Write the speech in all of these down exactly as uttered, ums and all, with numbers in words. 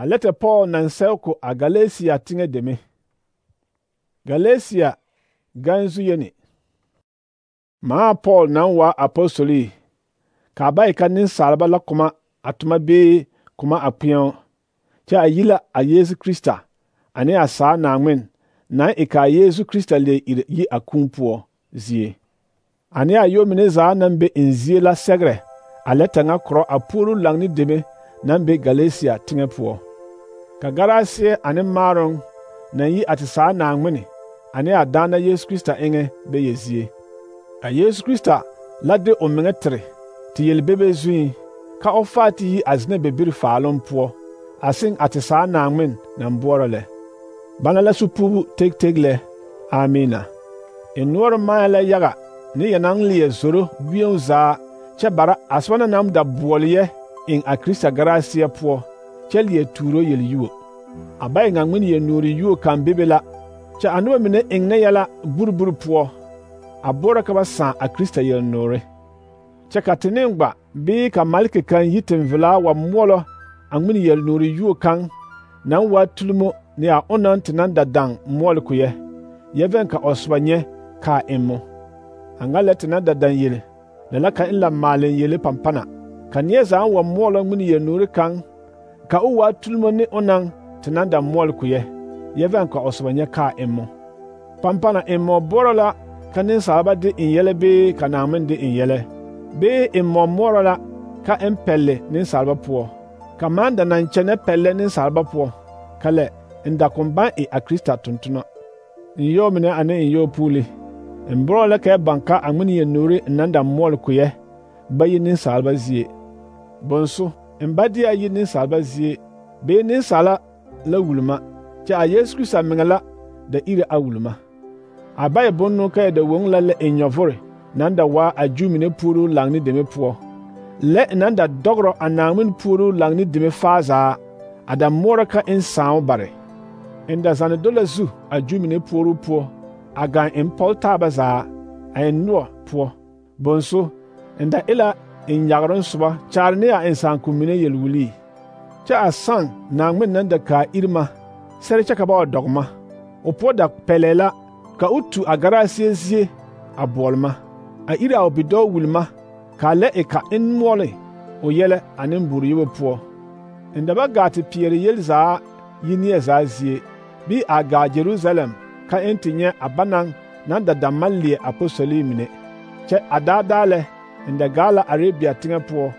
A lɛtɛ Paul naŋ sɛge ko a Galatia teŋɛ deme. Galatia ganzu yeni. Maa Paul naŋ waa apostoli ka ba e ka nensalba la koma a toma bee koma a kpeɛo kyɛ a yi la a Yesu Krista ane a saa Naŋmen naŋ e ka a Yesu Krista le iri yi a kūū poɔ zie. Ane a yɔ mine zaa naŋ be en zie la sɛgerɛ a lɛtɛ ŋa korɔ a puoru laŋ ne deme naŋ be Galatia teŋɛ poɔ. Ka garaseɛ ane maaroŋ naŋ yi a te saa Naŋmen ane a daana Yesu Krista eŋɛ be yɛ zie. A Yesu Krista la de o meŋa tere te yelbebe zuŋ ka o faa te yi a zenɛ bebiri faaloŋ poɔ a seŋ a te saa Naŋmen naŋ boɔrɔ lɛ. Bana la supuubu teg teg lɛ. Amiina. E noɔre maa la yaga ne yɛ naŋ leɛ zoro wieŋ zaa kyɛ bara a soba na naŋ da boɔle yɛ eŋ a Krista garaseɛ poɔ kyɛ leɛ tuuro yelyuo. A ba e ŋa ŋmene yɛ nuuri yuo kaŋ bebe la kyɛ a noba mine eŋ ne yɛla buriburi poɔ a boɔrɔ ka ba sãã a Krista yelnoore. Kyɛ ka te neŋ gba bee ka maleke kaŋ yi tenvelaa wa moɔlɔ a ŋmene yelnoore yuo kaŋ naŋ waa tulimo ne a onaŋ te naŋ da daŋ moɔle ko yɛ, yɛ vɛŋ ka o soba nyɛ kaa emmo. A ŋa lɛ te naŋ da daŋ yele la la ka en la maaleŋ yele pampana ka neɛ zaa wa moɔlɔ ŋmene yelnoore kaŋ ka o waa tulimo ne onaŋ te naŋ da moɔle ko yɛ, yɛ vɛŋ ka o soba nyɛ kaa emmo. Pampana emmo boɔrɔ la ka nensalba de en yɛlɛ bee ka Naŋmen de en yɛlɛ, bee emmo moɔrɔ la ka en pɛlle nensalba poɔ, ka maŋ da naŋ kyɛnɛ pɛllɛ nensalba poɔ, ka lɛ en da koŋ baŋ e a Krista tontona. En yɔɔ mine ane en yɔɔ puuli, en boɔrɔ la ka baŋ ka a ŋmene yelnoore en naŋ da moɔle ko yɛ ba yi nensalba zie. Bonso, en ba de a yi nensalba zie, bee nensaala la wulma, kyɛ a Yesu Krista meŋa la da iri a wulma. A ba e bonno ka da woŋ la lɛ en nyɔvore naŋ da waa a Juu mine puoru laŋ ne deme poɔ, lɛ naŋ da dɔgrɔ a Naŋmen puoru laŋ ne deme faa zaa, a da moɔrɔ ka en sãão bare. En da zane do la zu a Juu mine puoru poɔ, a gaŋ en pɔge taaba zaa, a en noɔ poɔ. Bonso, en da e la en yageroŋ soba kyaare ne a en sããko mine yelwulii. Kyɛ a sãn Naŋmen naŋ da kaa irima sɛre kyɛ ka ba wa dɔge ma, o poɔ da pɛlɛɛ la ka o tu a garaseɛ zie a boɔle ma, a iri a o bidɔɔ wulma, kaa lɛ e ka en moɔle o yɛlɛ ane buru-yobo poɔ. En da ba gaa te peɛre yel zaa yi neɛ zaa zie, bii a gaa Jerusalem ka en te nyɛ a banaŋ naŋ da da maŋ leɛ apostoli mine. Kyɛ a daadaa lɛ en da gaa la Arabia teŋɛ poɔ,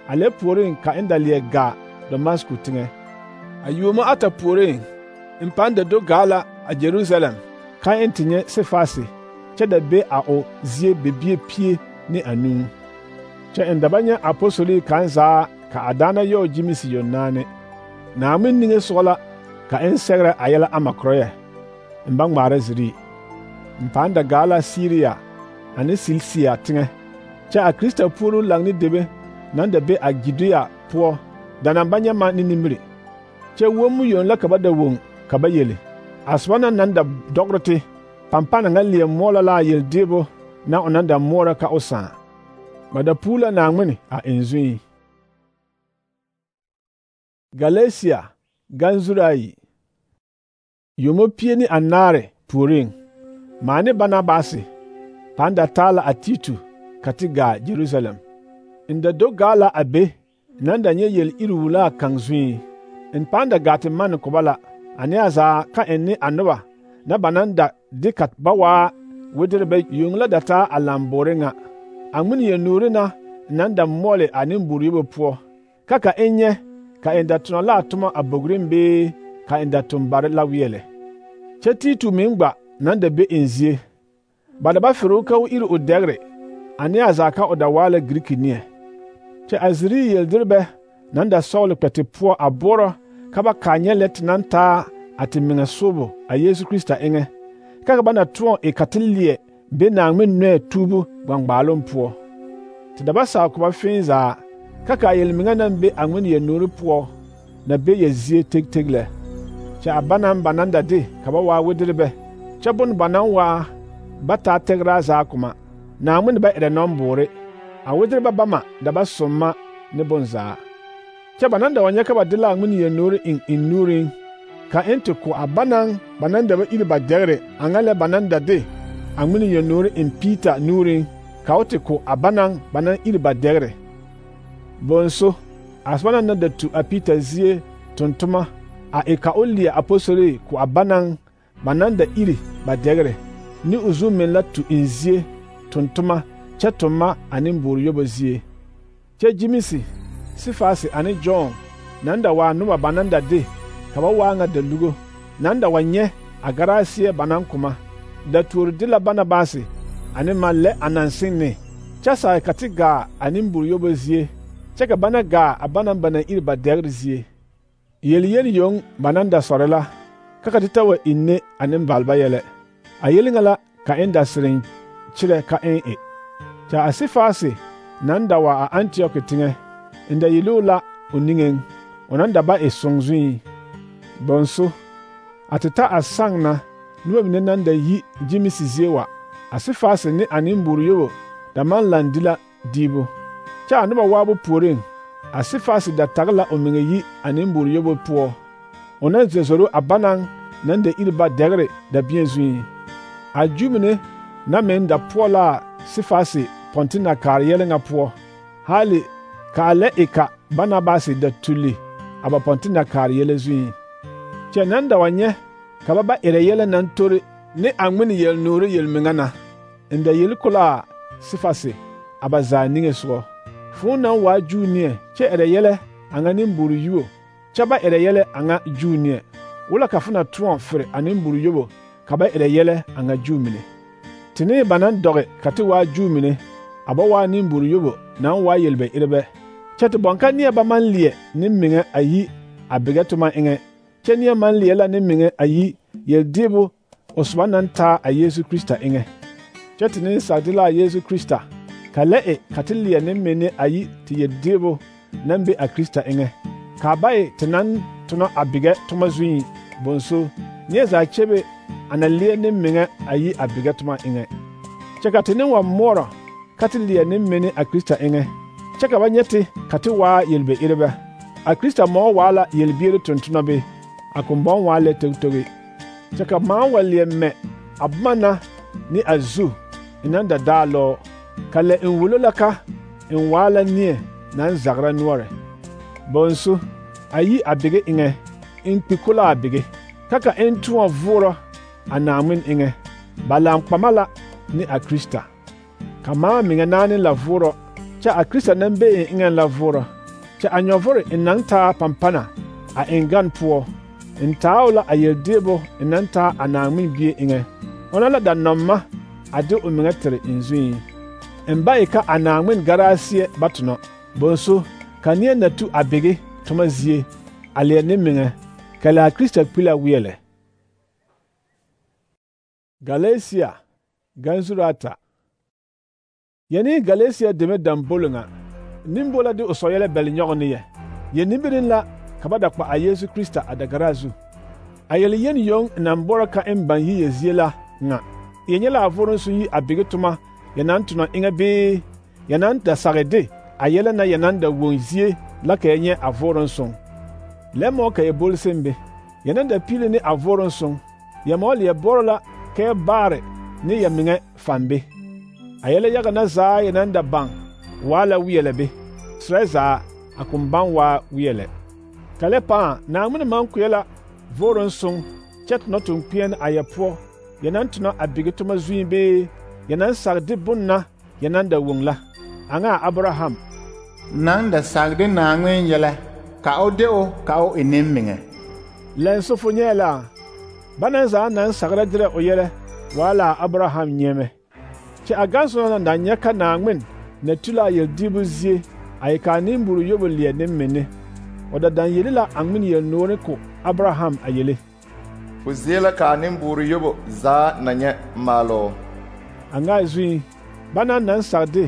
a lɛ puoriŋ ka en da leɛ gaa Damasku teŋɛ. A yuomo ata puoriŋ, en pãã da do gaa la a Jerusalem ka en te nyɛ Sefase kyɛ da be a o zie bebie pie ne anuu. Kyɛ en da ba nyɛ apostoli kaŋ zaa ka a daana yɔɔ gyimesi yɔnaane. Naŋmen niŋe sɔgɔ la ka en sɛgerɛ a yɛlɛ ama korɔ yɛ, en ba ŋmaara zirii. En pãã da gaa la Siriya ane Silisia teŋɛ, kyɛ a Krista puoru laŋ ne deme naŋ da be a Giduya poɔ da naŋ ba nyɛ ma ne nimiri. Kyɛ wommu yoŋ la ka ba da woŋ ka ba yele. A soba na naŋ da dɔgrɔ te, pampana ŋa leɛ moɔlɔ la a yeldeebo na o naŋ da moɔrɔ ka o sãã. Ba da puu la Naŋmen a en zuŋ. Galatia ganzuri ayi. Yomo pie ne anaare puoriŋ, maa ne Barnabasi pãã da taa la a Titu ka te gaa Jerusalem. En da do gaa la a be naŋ da nyɛ yel iri wulaa kaŋ zuŋ. En pãã da gaa te manne ko ba la, ane a zaa ka en ne a noba na ba naŋ da de ka ba waa wederebɛ yoŋ la da taa a lamboore ŋa, a ŋmene yelnoore na naŋ da moɔle a nemburu-yobo poɔ, ka ka en nyɛ ka en da tonɔ la a toma a bogreŋ bee ka en da toŋ bare la weɛlɛ. Kyɛ Titu meŋ gba naŋ da be en zie. Ba da ba fere o ka o iri o dɛgre, ane a zaa ka o da waa la Giriki neɛ. Kyɛ a zirii yelderebɛ naŋ da sɔgele kpɛ te poɔ a boɔrɔ ka ba kaa nyɛ lɛ te naŋ taa a te meŋa soobo a Yesu Krista eŋɛ, ka ba na tõɔ e ka te leɛ be Naŋmen nɔɛ tuubu gbaŋgbaaloŋ poɔ. Te da ba saa ko ba fẽe zaa, ka ka a yelmeŋa naŋ be a ŋmene yelnoore poɔ na be yɛ zie teg teg lɛ. Kyɛ a ba naŋ ba naŋ da de ka ba waa wederebɛ, kyɛ bone ba naŋ waa ba taa tɛgraa zaa koma, Naŋmen ba erɛ nɔmboore, a wederebɛ bama da ba somma ne bonzaa. Kyɛ ba nan da wa nyɛ ka ba de la a ŋmene yel-noore eŋ eŋ nuuriŋ, ka eŋ te ko a banaŋ ba nan da ba iri ba dɛgre a ŋa lɛ ba nan da de a ŋmene yel-noore eŋ Piita nuuriŋ, ka o te ko a banaŋ ba nan iri ba dɛgre. Bonso, a soba nan da tu a Piita zie tontoma a e ka o leɛ apostolii ko a banaŋ ba nan da iri ba dɛgre, ne o zu meŋ la tu eŋ zie tontoma kyɛ toma ane boore yobo zie. Kyɛ Jemisi, Sifasi ane Jɔn nan da waa noba ba nan da de ka ba waa ŋa dalugo, nan da wa nyɛ a garaasiɛ ba nan koma, da tuori de la Banabasi ane ma lɛ a naŋ seŋ ne, kyɛ saa ka te gaa a nemboore yobo zie, kyɛ ka bana gaa a banaŋ ba naŋ iri ba dɛgre zie. Yel-yel yoŋ ba nan da sɔre la, ka ka te ta wa inne a nembalba yɛlɛ. A yel ŋa la ka eŋ da sereŋ kyerɛ ka eŋ e. Kyɛ a Sifasi nan da wa a Antioki teŋɛ, en da yeloo la o niŋeŋ, o nan da ba e soŋ zuŋ. Bonso, a te ta a saŋ na noba mine nan da yi Jemisi zie wa, a Sifasi ne a nemboore yobo da maŋ laŋ di la diibu. Kyɛ a noba waabo puoriŋ, a Sifasi da tage la o meŋa yi a nemboore yobo poɔ, o na zoro a banaŋ nan da iri ba dɛgre dabie zuŋ. A Ju mine na meŋ da poɔ la a Sifasi pɔnte na kaare yɛlɛ ŋa poɔ, haali ka a lɛ e ka Banabasi da tuli a ba pɔnte na kaare yɛlɛ zuŋ. Kyɛ nan da wa nyɛ ka ba ba erɛ yɛlɛ naŋ tori ne a ŋmene yel-noore yel-meŋa na, en da yel ko la a Sifasi a ba zaa niŋe sogɔ. Foo naŋ waa Juu neɛ kyɛ erɛ yɛlɛ a ŋa nemboore yuo, kyɛ ba erɛ yɛlɛ a ŋa Juu neɛ, wala ka fo na tõɔ fere a nemboore yobo ka ba erɛ yɛlɛ a ŋa Juu mine. Tenee ba naŋ dɔge ka te waa Juu mine, a ba waa nemboore yobo naŋ waa yel-ba-erebɛ, kyɛ te bɔŋ ka neɛ ba maŋ leɛ nemiŋɛ a yi a bigɛ toma eŋɛ, kyɛ neɛ maŋ leɛ la nemiŋɛ a yi yel-deebo o soba naŋ taa a Yesu Krista eŋɛ. Kyɛ te ne sage de la a Yesu Krista, ka lɛ e ka te leɛ nemmine a yi te yel-deebo naŋ be a Krista eŋɛ, ka ba e te naŋ tona a bigɛ toma zuŋ. Bonso, neɛ zaa kyebe a na leɛ nemiŋɛ a yi a bigɛ toma eŋɛ. Kyɛ ka te ne wa moɔrɔ ka te leɛ nemmine a Krista eŋɛ, kyɛ ka ba nyɛ te ka te waa yel-be-erebɛ. A Krista mɔɔ waa la yel-biere tontona be, a kombɔŋ waa lɛ togtoge. Kyɛ ka maa wa leɛ mɛ a boma na ne a zu e naŋ da daa lɔɔ, ka lɛ en wolo la ka en waa la neɛ naŋ zagra noɔre. Bonso, a yi a bige eŋɛ, en kpi ko la a bige, ka ka en tõɔ voorɔ a Naaŋmen eŋɛ, ba laŋ kpama la ne a Krista. Ka maa meŋa naane la voorɔ, kyɛ a Krista naŋ be en eŋɛŋ la voorɔ, kyɛ a nyɔvore en naŋ taa pampana a eŋ gan poɔ, en taa o la a yel-deebo en naŋ taa a Naaŋmen bie eŋɛ, ona la da nɔma a de o meŋa tere en zuŋ. En ba e ka a Naaŋmen garaasiɛ ba tonɔ, bonso ka neɛ na tu a bige toma zie a leɛ nemiŋɛ, ka lɛ a Krista kpi la weɛlɛ. Galatia ganzurata. Yɛne Galatia deme dambolo ŋa, nimbo la de o sɔyɛlɛ bɛle nyɔge ne yɛ. Yɛ nimbirin la ka ba da kpa a Yesu Krista a dagaraa zu. A yɛle yen yoŋ naŋ bɔrɔ ka en baŋ yi yɛ zie la ŋa. Yɛ nyɛ la a voroŋ so yi a bige toma yɛ naŋ tonɔ eŋɛ bee yɛ naŋ da sage de a yɛlɛ na yɛ naŋ da woŋ zie la ka yɛ nyɛ a voroŋ soŋ. Lɛ mɔ ka yɛ bol sembe, yɛ naŋ da piili ne a voroŋ soŋ, yɛ mɔ leɛ bɔrɔ la ka yɛ baare ne yɛ meŋɛ fambe. A yɛlɛ yaga na zaa yɛ naŋ da baŋ waa la weɛlɛ be, serɛ zaa a koŋ baŋ waa weɛlɛ. Ka lɛ pãã Naaŋmen maŋ kpeɛ la voroŋ soŋ kyɛ tonɔ toŋkpeɛne a yɛ poɔ, yɛ naŋ tonɔ a bige toma zuŋ bee yɛ naŋ sage de bone na yɛ naŋ da woŋ la, a ŋa a Abraham naŋ da sage de Naaŋmen yɛlɛ ka o de o ka o e nemiŋɛ. Lɛn so fo nyɛɛ la, bana zaa naŋ sagra derɛ o yɛlɛ waa la a Abraham nyɛmɛ. Kyɛ a gansonɔ na da nyɛ ka Naaŋmen na tu la a yel-diibu zie a e ka a nemboore yobo leɛ nemmine, o da daŋ yeli la a ŋmene yel-noore ko Abraham a yele. Fo zie la ka a nemboore yobo zaa na nyɛ maaloo. A ŋa zuŋ, bana naŋ sage de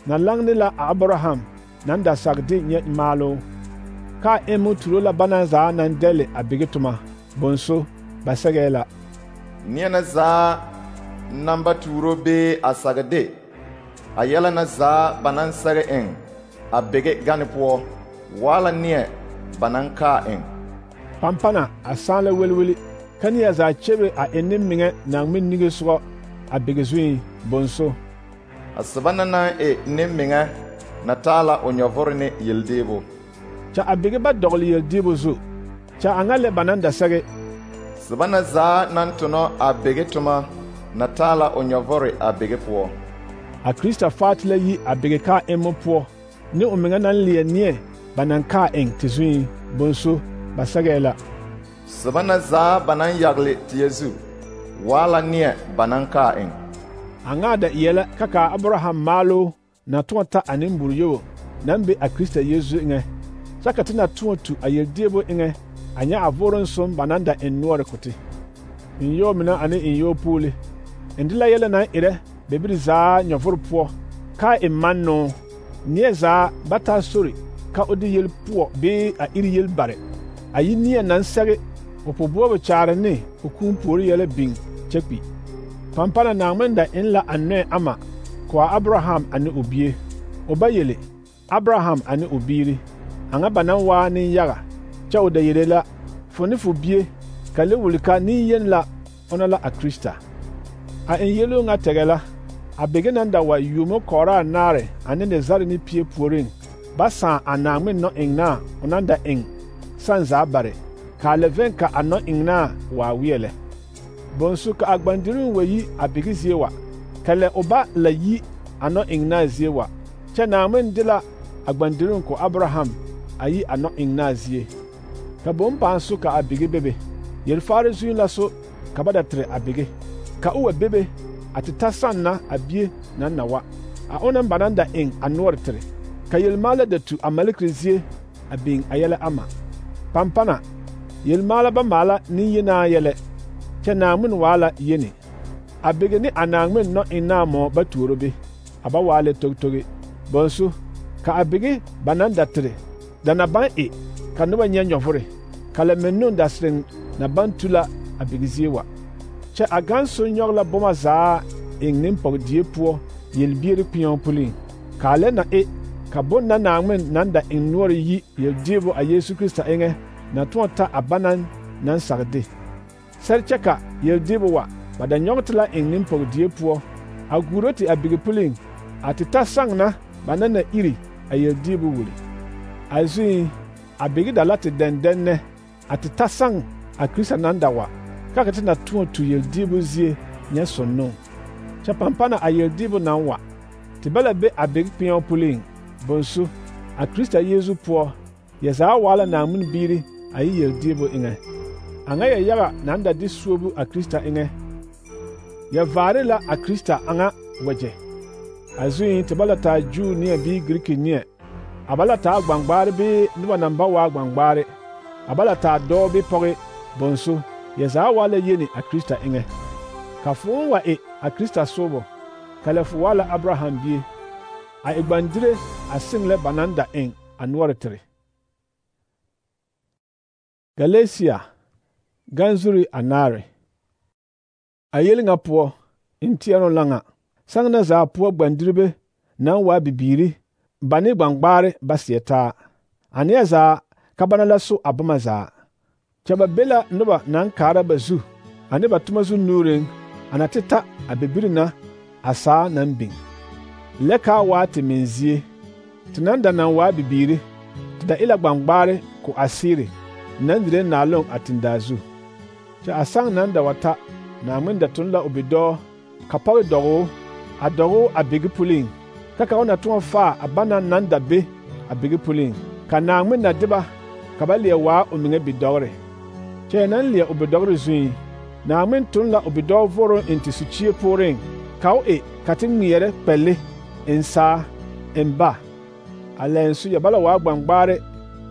na laŋne la a Abraham naŋ da sage de nyɛ maaloo, ka a emmo turo la bana zaa naŋ dɛle a bige toma, bonso ba sɛgɛɛ la. Neɛ na zaa naŋ ba tuuro bee a sage de a yɛlɛ na zaa ba naŋ sɛge eŋ a bige gane poɔ, wala neɛ ba naŋ kaa eŋ. Pampana a sãã la welweli ka neɛ zaa kyebe a eŋ ne meŋɛ Naaŋmen niŋesogɔ a bege zuiŋ bonso. A soba na naŋ e ne meŋɛ na taa la o nyɔvore ne yeldeebo. Kyɛ a bege ba dɔgele yeldeebo zu, kyɛ a ŋa lɛ ba naŋ da sɛge. Soba na zaa naŋ tonɔ a bege toma na taa la o nyɔvore a bege poɔ. A Krista faate la yi a bege kaa emmo poɔ, ne o meŋɛ naŋ leɛ neɛ ba naŋ kaa eŋ te zuiŋ bonso ba sɛgɛɛ la. Soba na zaa ba naŋ yagle teɛ zu, waa la neɛ ba naŋ kaa eŋ. A ŋa da eɛ la ka ka Abraham maaloo na tõɔ ta a nembur-yobo naŋ be a Krista Yesu eŋɛ, kyɛ ka te na tõɔ tu a yeldeebo eŋɛ a nyɛ a vooren som ba naŋ da eŋ noɔre ko te. Enyɔɔ mine ane enyɔɔ puule, eŋ de la yɛlɛ naŋ erɛ bebiri zaa nyɔvore poɔ, kaa e mannoo, neɛ zaa ba taa sori ka o de yel poɔ bee a iri yel bare, a yi neɛ naŋ sɛge o pobuobo kyaare ne o kũũ puori yɛlɛ biŋ kyɛ kpi. Pampana Naaŋmen da eŋ la a nɔɛ ama ko a Abraham ane o bie, o ba yele Abraham ane o biiri, a ŋa ba naŋ waa nenyaga, kyɛ o da yele la, fo ne fo bie, ka le wuli ka neŋyeni la ona la a Krista. A eŋ yeloo ŋa tɛgɛ la, a bege naŋ da wa yuomo kɔɔraa naare ane ne zare ne pie puoriŋ, ba sãã a Naaŋmen nɔ-eŋnaa o naŋ da eŋ sãn zaa bare, kaa lɛ vɛŋ ka a nɔ-eŋnaa waa weɛ lɛ. Bonsu ka a gbandiriŋ wa yi a bege zie wa, ka lɛ o ba la yi a nɔ-eŋnaa zie wa, kyɛ Naaŋmen de la a gbandiriŋ ko Abraham a yi a nɔ-eŋnaa zie. Ka bom pãã so ka a bege bebe, yelfaare zuiŋ la so ka ba da tere a bege, ka o wa bebe a te ta sãn na a bie naŋ na wa, a onaŋ ba naŋ da eŋ a noɔre tere, ka yelmaala da tu a malekere zie a biŋ a yɛlɛ ama. Pampana, yelmaala ba maala nenyenaa yɛlɛ, kyɛ Naaŋmen waa la yeni. A bege ne a Naaŋmen nɔ-eŋnaa mɔɔ ba tuoro be, a ba waa lɛ togtoge. Bonsu, ka a bege ba naŋ da tere da na baŋ e ka noba nyɛ nyɔvore, ka lɛ mennun da sereŋ na baŋ tu la a bege zie wa. Kyɛ a gaŋ so nyɔge la boma zaa eŋ nempɔgedie poɔ yelbiere kpeɛo puliŋ, kaa lɛ na e ka bon na Naaŋmen naŋ da eŋ noɔre yi yeldeebo a Yesu Krista eŋɛ na tõɔ ta a banaŋ naŋ sage de. Sɛre kyɛ ka yeldeebo wa ba da nyɔge te la eŋ nempɔgedie poɔ, a guuro te a bege puliŋ, a te ta saŋ na ba naŋ na iri a yeldeebo wuli. A zuiŋ, a bege da la te dɛndɛnnɛ a te ta saŋ a Krista naŋ da wa, ka ka te na tõɔ tu yeldeebo zie nyɛ sonnoŋ. Kyɛ pampana a yeldeebo naŋ wa, te ba la be a bege kpeɛo puliŋ, bonsu, a Krista Yesu poɔ, yɛ zaa waa la Naaŋmen biiri a yi yeldeebo eŋɛ. A ŋa yɛ yaga naŋ da de suobu a Krista eŋɛ. Yɛ vaare la a Krista a ŋa wagyɛ. A zuiŋ te ba la taa Juu neɛ bii Giriki neɛ, a ba la taa gbaŋgbaare bee noba naŋ ba waa gbaŋgbaare, a ba la taa dɔɔ bee pɔge, bonsu, yɛ zaa waa la yeni a Krista eŋɛ. Ka fooŋ wa e a Krista soobɔ, ka lɛ fo waa la Abraham bie, a e gbandire a seŋ lɛ ba naŋ da eŋ a noɔre tere. Galatia, ganzuri anaare. A yel ŋa poɔ, n teɛroŋ la ŋa, saŋ na zaa poɔ gbandiribe naŋ waa bibiiri, ba ne gbaŋgbaare ba seɛ taa. A neɛ zaa ka bana la so a boma zaa. Kyɛ ba be la noba naŋ kaara ba zu, ane ba toma zu nuureŋ, a na te ta a bibiri na a saa naŋ biŋ. Lɛ kaa waa te meŋ zie, te naŋ da naŋ waa bibiiri, te da e la gbaŋgbaare ko a seere, naŋ dire naaloŋ a tendaa zu. Kyɛ a saŋ naŋ da wa ta, Naaŋmen da tun la o bidɔɔ, ka pɔge dɔgoo, a dɔgoo a bege puliŋ, ka ka o na tõɔ faa a bana naŋ da be a bege puliŋ, ka Naaŋmen na de ba, ka ba leɛ waa o meŋɛ bidɔgre. Kyɛ yɛ naŋ leɛ o bidɔgre zuiŋ, Naaŋmen tun la o bidɔɔ voroŋ eŋ te sukyie pooreŋ, ka o e ka te ŋmeɛrɛ kpɛlle, eŋ saa, eŋ ba. A lɛn so yɛ ba la waa gbaŋgbaare,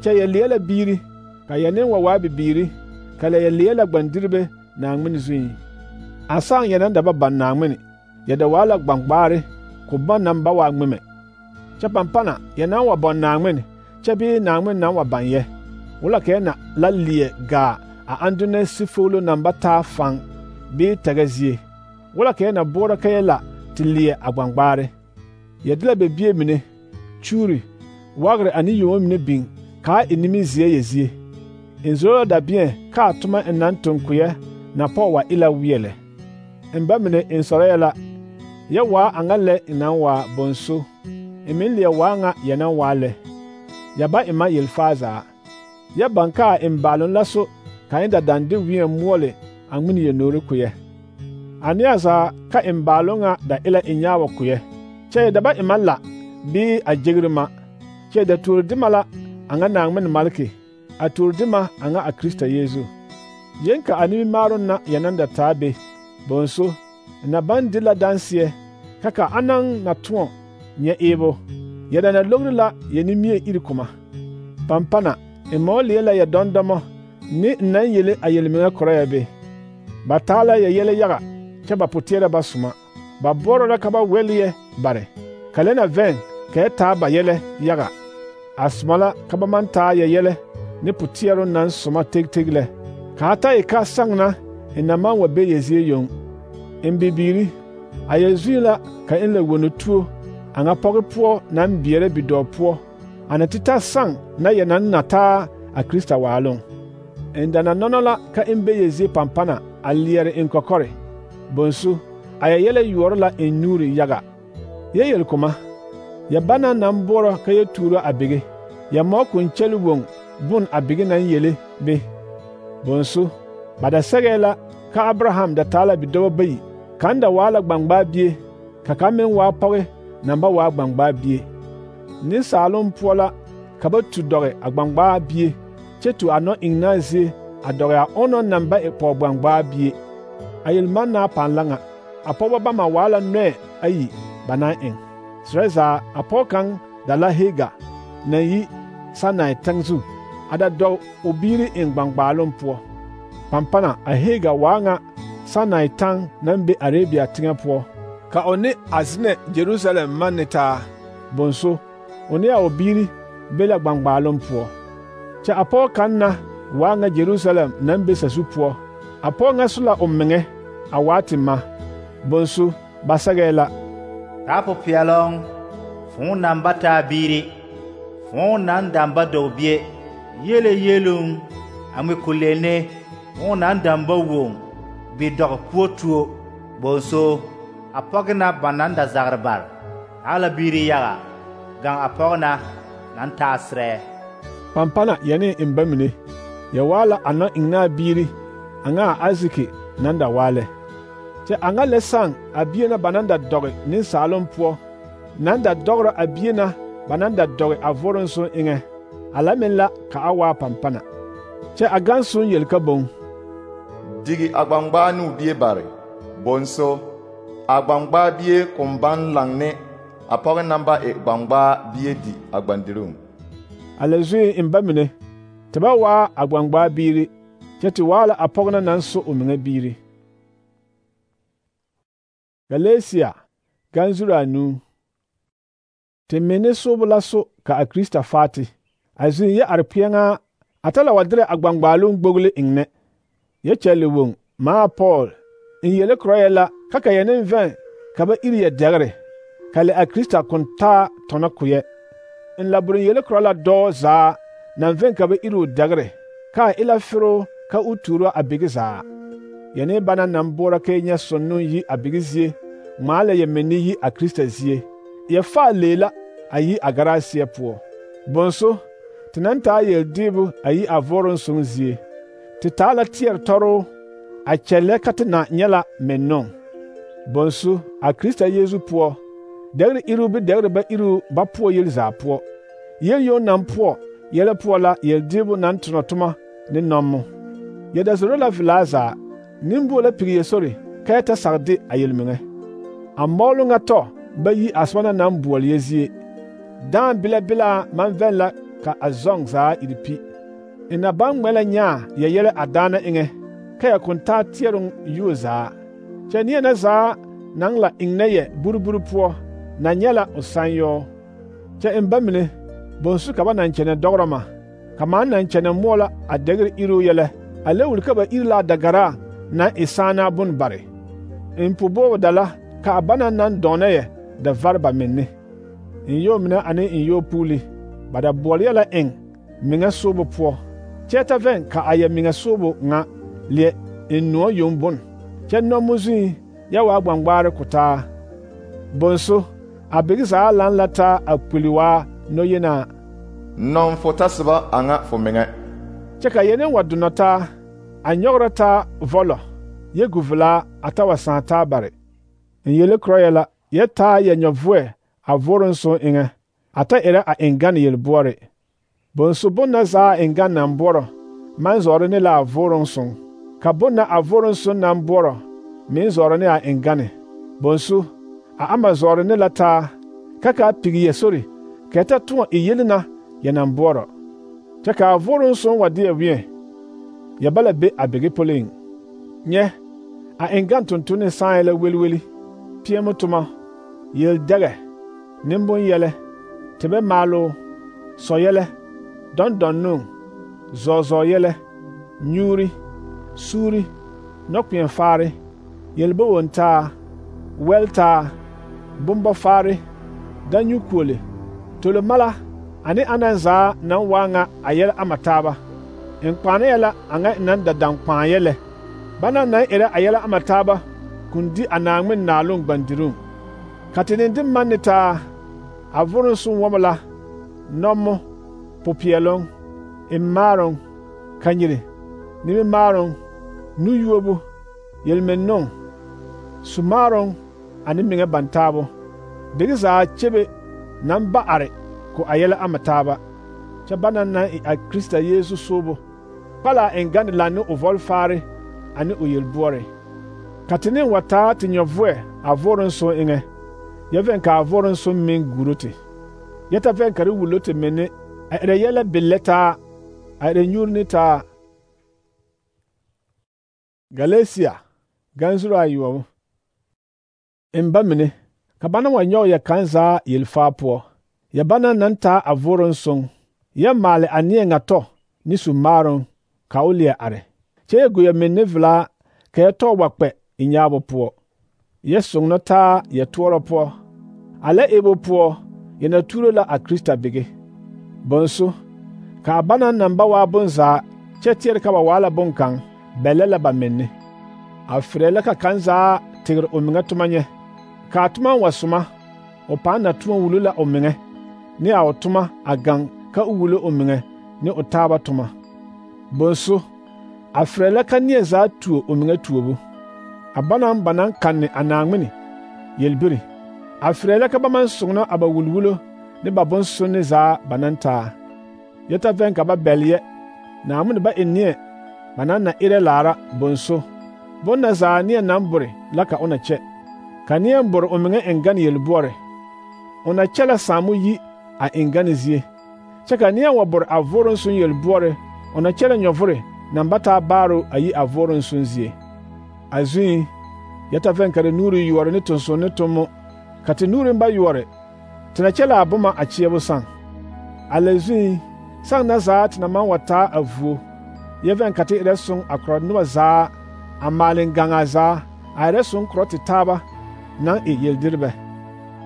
kyɛ yɛ leɛ la biiri, ka yɛ neŋ wa waa bibiiri, ka lɛ yɛ leɛ la gbandiribe Naaŋmen zuiŋ. A sãã yɛ naŋ da ba baŋ Naaŋmen, yɛ da waa la gbaŋgbaare, ko ba naŋ ba waa ŋmemɛ. Kyɛ pampana yɛ naŋ wa bɔŋ Naaŋmen, kyɛ bee Naaŋmen naŋ wa baŋ yɛ, wala ka yɛ na la leɛ gaa a andunɛ sifoglo naŋ ba taa faŋ bee tɛgɛ zie, wala ka yɛ na boɔrɔ ka yɛ la te leɛ a gbaŋgbaare. Yɛ de la bebie mine, kyuuri, wagre ane yomo mine biŋ kaa e nimi zie ye zie. En zoro da bien kaa tuma en nan tonkuye na po wa ila wiele. En ba mine en sore la ya wa angale inan wa bonso. Emin le wa nga yana wale. Ya ba ima yelfaza. Ya banka en balon laso ka inda dande wiye muole angmini ye nore kuye. Aniasa ka en balonga da ila inyawa kuye. Che da ba ima la bi a jigrima. Che da turdimala anga nangmin malki. A turdima anga a Krista Yesu. Yenka animi marun na yananda tabe. Bonso na bandila dansie kaka anang na tuon nye ebo. Yada na logrila yenimie irikuma. Pampana emoli la ya dondomo ni nan yele ayelminga korebe. Batala ya yele yaga chaba putiera basuma. Ba boro la kaba weliye bare. Kalena ven ke ta ba yele yaga. Asmala kaba manta ya yele ni putiero nan suma tig tigle. Kata ika sangna inaman wa be yezie yong. Mbibiri ayezula ka en le wono tuo anga poge po nan biere bido po ana tita sang na yenan nata a Krista walon endana nonola ka embe yezi pampana aliere en kokore bonsu ayele yorla en nuri yaga yeyel kuma ya bana nan boro ka ye turo abige ya mo kun chelu won bun abige nan yele be bonsu bada segela ka Abraham da tala bido bayi kanda wala gbangba bie kaka men wa poge namba wa gbangba bie ni salon pola kaba tu dore agbangba bie chetu ano ignazi adore a ono namba e po gbangba bie ayil manna panlanga apoba ba ma wala nwe ayi bana en sreza apokan dala hega na yi sanai tangzu ada do obiri en gbangba lon po pampana a hega wanga sanai tang nambe Arabia tinga po ka one azne Jerusalem manita bonso one a obiri bela gbangbalon po cha apo kanna wanga Jerusalem nambe sasu po apo nga sula ommenge awati ma bonso basagela tapo pialong fun namba ta biri fun nan damba dobie yele yelung ame kulene fun nan damba wong bi dog puotuo bonso apogna bananda zarbar ala biri yaga gang apogna nan tasre pampana yani imbamine ya wala ana ingna biri anga aziki nanda wale te anga lesang abiena bananda doge nin salon po nanda dogro abiena bananda doge avoronso inge alamela ka awa pampana te agansun yelka bon digi agbangba nu bie bare bonso agbangba bie kumban langne apoge namba e gbangba bie di agbandirum alezui imbamine teba wa agbangba biri cheti wala apogna nanso ominga biri Galatia ganzura nu temene sobula so ka a Krista fati azin ya arpianga atala wadre agbangbalun gbogle ingne ye chele won ma Paul in yele kroyela kaka yenen ven kaba iriye degre kale a Krista konta tona kuye in laburin yele krola do za nan ven kaba iru degre ka ila firo ka uturo abigiza yene bana nan bora ke nya sonnu yi abigizie mala ye meni yi a Krista zie ye fa lela ayi agarasie po bonso tinanta ye dibu ayi avoron sunzie titala tier toro a chele katina nyela menon bonsu a Krista Yesu po degre iru bi degre ba iru ba po yel za po yel yo nan po yele po la yel dibu nan tunotuma ni nomo yeda zoro la vilaza nimbo la piye sori kayata sarde ayelmenge amolu nga to ba yi aswana nan buol yezie dan bila bila man vela ka azong za iripi ina ban mela nya ya yele adana inge kaya kunta tierung yuza chenia na za nang la ingneye buruburu po na nyela osanyo cha embamine bonsu ka ba nan chene dograma kama nan chene mola adegre iru yele ale wulka ba irla dagara na isana bun bare impubo dala ka abana nan doneye da varba minni in yo mina ane in yo puli bada bolyala eng meŋa soobo poɔ kyɛ ta vɛn ka a yɛ meŋa soobo ŋa leɛ en noɔ yoŋ bon kyɛ nɔmo zuŋ yɛ waa gbangbaare ko taa bonso a bigi zaa laŋ la taa a kpuli waa noyenaa nɔŋ fo tasiba a ŋa fo meŋa kyɛ ka yɛne wa donɔ taa a nyɔgrɔ taa vɔlɔ yɛ guvilaa a ta wa sãã taa bare n yele korɔ yɛ la yɛ taa yɛ nyɔvoɛ a voron sõn eŋɛ a ta erɛ a eŋgane yelboɔre bonso bon na zaa a eŋgane naŋ boɔrɔ maŋ zɔɔrɔ ne la a voron sõn ka bon na a voron sõn naŋ boɔrɔ meŋ zɔɔrɔ ne a eŋgane bonso a ama zɔɔrɔ ne la taa ka ka a pigi yɛ sori ka ta tõɔ e yele na yɛ naŋ boɔrɔ kyɛ ka a voron sõn wa deɛ wẽɛ yɛ bala be a bigi poliŋ nyɛ a eŋgane tontone sãã la welweli peɛmo toma yel-dɛgɛ nembon-yɛlɛ tebɛ maaloo sɔ-yɛlɛ dɔn-dɔnnoo zɔɔ-zɔɔ-yɛlɛ nyuuri suuri nɔkpeɛn-faare yelbowon-taa wɛl-taa bombɔ-faare danyukuole tolomala ane anan zaa naŋ waa ŋa a yɛlɛ ama taaba n kpaane yɛ la a ŋa naŋ da daŋkpãã yɛlɛ bana naŋ erɛ a yɛlɛ ama taaba kun di a Naaŋmen naaloŋ gbandiruŋ ka te ne de manne taa a voron sõn wɔmɔ la nɔmo popeɛloŋ immaaroŋ kanyiri nimimaaroŋ nu-yuobo yelmennoŋ sumaaroŋ ane meŋa bantaabo bigi zaa kyebe naŋ ba are ko a yɛlɛ ama taaba kyɛ bana naŋ e a Krista Yeesu soobo kpala a eŋgane laŋ ne o vɔlfaare ane o yelboɔre ka te ne wa taa te nyɔvoɛ a voron sõn eŋɛ yɛ vɛn ka a voron sõn meŋ guro te yɛ ta vɛn ka re wulo te menne a erɛ yɛlɛ bellɛ taa a erɛ nyuuri ne taa Galatia ganzuro ayoɔbo n ba mine ka bana wa nyɔge yɛ kaŋ zaa yelfaa poɔ yɛ bana naŋ taa a voron sõn yɛ maale a neɛ ŋa tɔ ne sumaaroŋ ka o leɛ are kyɛ yɛ go yɛ menne velaa ka yɛ tɔɔ wa kpɛ i nyaabo poɔ yɛ soŋno taa yɛ toɔrɔ poɔ a lɛ ebo poɔ yɛ na tuuro la a Krista bigi bonso ka a bana naŋ ba waa bonzaa kyɛ teɛre ka ba waa la bonkaŋ bɛlɛ la ba menne a ferɛ la ka kaŋ zaa tegre o meŋa toma nyɛ ka a toma wa soma o pãã na toma wulo la o meŋɛ ne a o toma a gaŋ ka o wulo o meŋɛ ne o taaba toma bonso a ferɛ la ka neɛ zaa tuo o meŋa tuobo a banaŋ ba naŋ kanne a Naaŋmene yelbiri a ferɛ la ka ba maŋ soŋno a ba wulwulo ne ba bonsonne zaa ba naŋ taa yɛ ta vɛn ka ba bɛle yɛ Naaŋmene ba e neɛ ba naŋ na erɛ laara bonso bon na zaa neɛ naŋ bore la ka o na kyɛ ka neɛ bore o meŋa eŋgane yelboɔre o na kyɛ la saamo yi a eŋgane zie kyɛ ka neɛ wa bore a voron sõn yelboɔre o na kyɛ la nyɔvore naŋ ba taa baaro a yi a voron sõn zie a zuŋ yɛ ta vɛn ka te nuuri yoɔre ne tonson ne tommo ka te nuuriŋ ba yoɔre te na kyɛ la a boma a kyeɛbo saŋ a la zuŋ saŋ na zaa te na maŋ wa taa a vuo yɛ vɛn ka te erɛ soŋ a korɔ noba zaa a maaleŋ gaŋaa zaa a erɛ soŋ korɔ te taaba naŋ e yeldirbɛ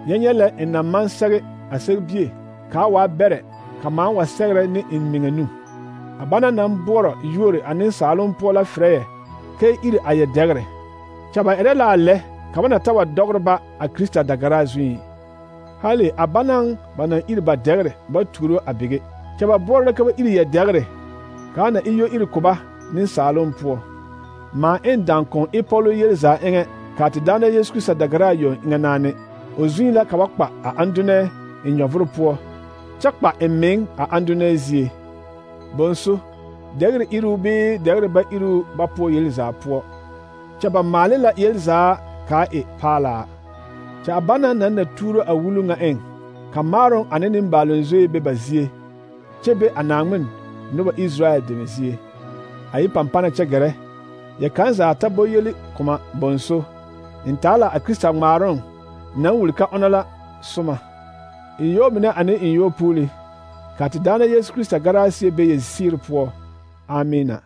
yɛ nyɛ lɛ n na maŋ sɛge a sɛgebie ka a waa bɛrɛ ka maaŋ wa sɛgerɛ ne n meŋa nu a bana naŋ boɔrɔ yuore a nensaaloŋ poɔ la ferɛ yɛ ka iri a yɛ dɛgre kyɛ ba erɛ la a lɛ ka ba na ta wa dɔgre ba a Krista dagaraa zuŋ hali a banaŋ ba naŋ iri ba dɛgre ba tuuro a bige kyɛ ba boɔrɔ la ka ba iri yɛ dɛgre ka a na iyo iri ko ba nensaaloŋ poɔ maa en dankɔŋ e pɔlo yel zaa eŋɛ ka te daana Yesu Krista dagaraa yoŋ eŋɛ naane o zuŋ la ka ba kpa a andonɛ en nyɔvoro poɔ kyɛ kpa en meŋ a andonɛ zie bonso dɛgre iruu bee dɛgre ba iruu ba poɔ yel zaa poɔ kyɛ ba maale la yel zaa kaa e paalaa kyɛ a bana naŋ na tuuro a wulu ŋa eŋ ka maaroŋ ane nembaaloŋ zoe be ba zie kyɛ be a Naaŋmen noba Israel deme zie a yi pampana kyɛ gɛrɛ yɛ kaŋ zaa ta bo yeli koma bonso n taa la a Krista ŋmaaroŋ naŋ wuli ka ona la soma n yoo mine ane n yoo puuli ka te daana Yesu Krista garaa sie be yɛ ziiri poɔ amina